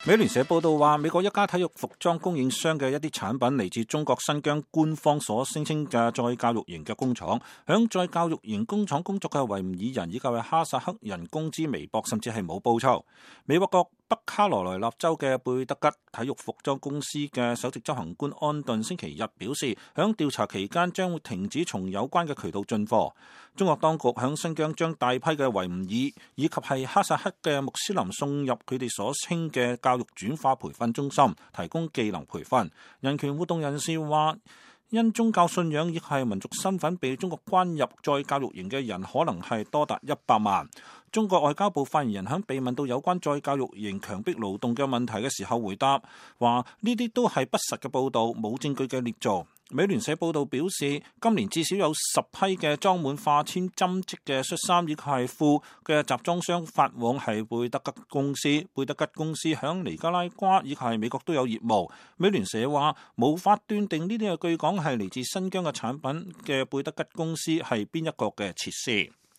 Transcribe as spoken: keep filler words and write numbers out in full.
美聯社報道話，美國一家體育服裝供應商嘅一啲產品嚟自中國新疆官方所聲稱嘅再教育營嘅工廠，響再教育營工廠工作嘅維吾爾人以及係哈薩克人工資微薄，甚至係冇報酬。美國國北卡羅來納州嘅貝德吉體育服裝公司嘅首席執行官安頓星期日表示，響調查期間將會停止從有關嘅渠道進貨。中國當局響新疆將大批嘅維吾爾以及係哈薩克嘅穆斯林送入佢哋所稱嘅教育轉化培訓中心，提供技能培訓。人權活動人士話，因宗教信仰亦係民族身份被中國關入再教育營嘅人可能係多達一百萬。中國外交部發言人喺被問到有關再教育營強迫勞動嘅問題嘅時候回答，話呢啲都係不實嘅報導，冇證據嘅捏造。美聯社報道表示，今年至少有十批嘅裝滿化纖針織嘅恤衫以及係褲嘅集裝箱發往係貝德吉公司。貝德吉公司響尼加拉瓜以及係美國都有業務。美聯社話無法斷定呢啲嘅據講係嚟自新疆嘅產品嘅貝德吉公司係邊一個嘅設施。